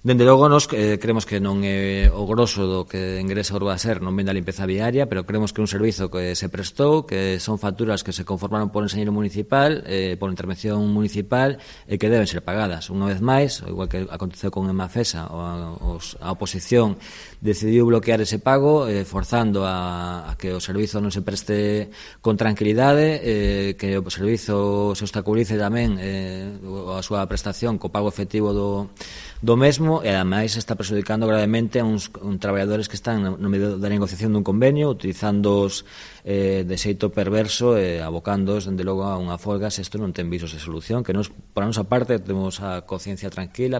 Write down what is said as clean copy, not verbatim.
Dende logo, nos creemos que non é o grosso do que ingresa o Urbaser, non vende a limpeza viaria, pero creemos que é un servizo que se prestou, que son facturas que se conformaron por enxeñeiro municipal, por intervención municipal, e que deben ser pagadas. Unha vez máis, igual que aconteceu con Emafesa, a oposición decidiu bloquear ese pago, forzando a que o servizo non se preste con tranquilidade, que o servizo se obstaculice tamén a súa prestación co pago efectivo do mesmo, e ademais está prexudicando gravemente a uns traballadores que están no medio da negociación dun convenio, utilizándoos de xeito perverso e abocándoos, dende logo, a unha folga se isto non ten visos de solución, que nos, por a nosa parte, temos a conciencia tranquila.